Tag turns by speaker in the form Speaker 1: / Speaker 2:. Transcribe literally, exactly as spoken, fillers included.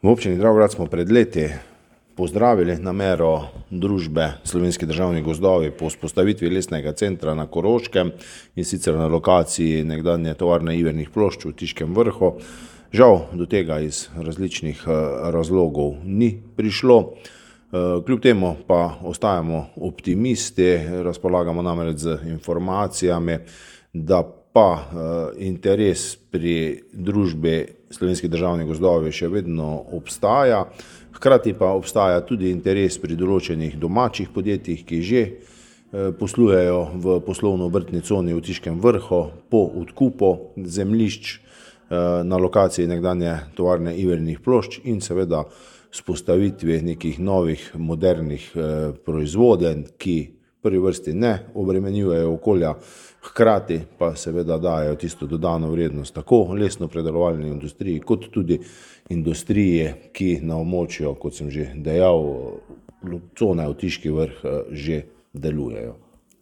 Speaker 1: V občini Dravograd smo pred leti pozdravili namero družbe Slovenski državni gozdovi po vzpostavitvi lesnega centra na Koroškem, in sicer na lokaciji nekdanje tovarne ivernih plošč v Tiškem Vrhu. Žal do tega iz različnih razlogov ni prišlo. Kljub temu pa ostajamo optimisti, razpolagamo namreč z informacijami, da pa interes pri družbi Slovenski državni gozdovi še vedno obstaja. Hkrati pa obstaja tudi interes pri določenih domačih podjetjih, ki že poslujejo v poslovno-obrtni coni v Tiškem Vrhu po odkupu zemljišč na lokaciji nekdanje tovarne ivernih plošč in seveda vzpostavitvi nekih novih modernih proizvodenj, ki v prvi vrsti ne obremenjujejo okolja, hkrati pa seveda dajo tisto dodano vrednost tako lesno-predelovalni industriji kot tudi industrije, ki na območju, kot sem že dejal, cone v Tiški Vrh že delujejo.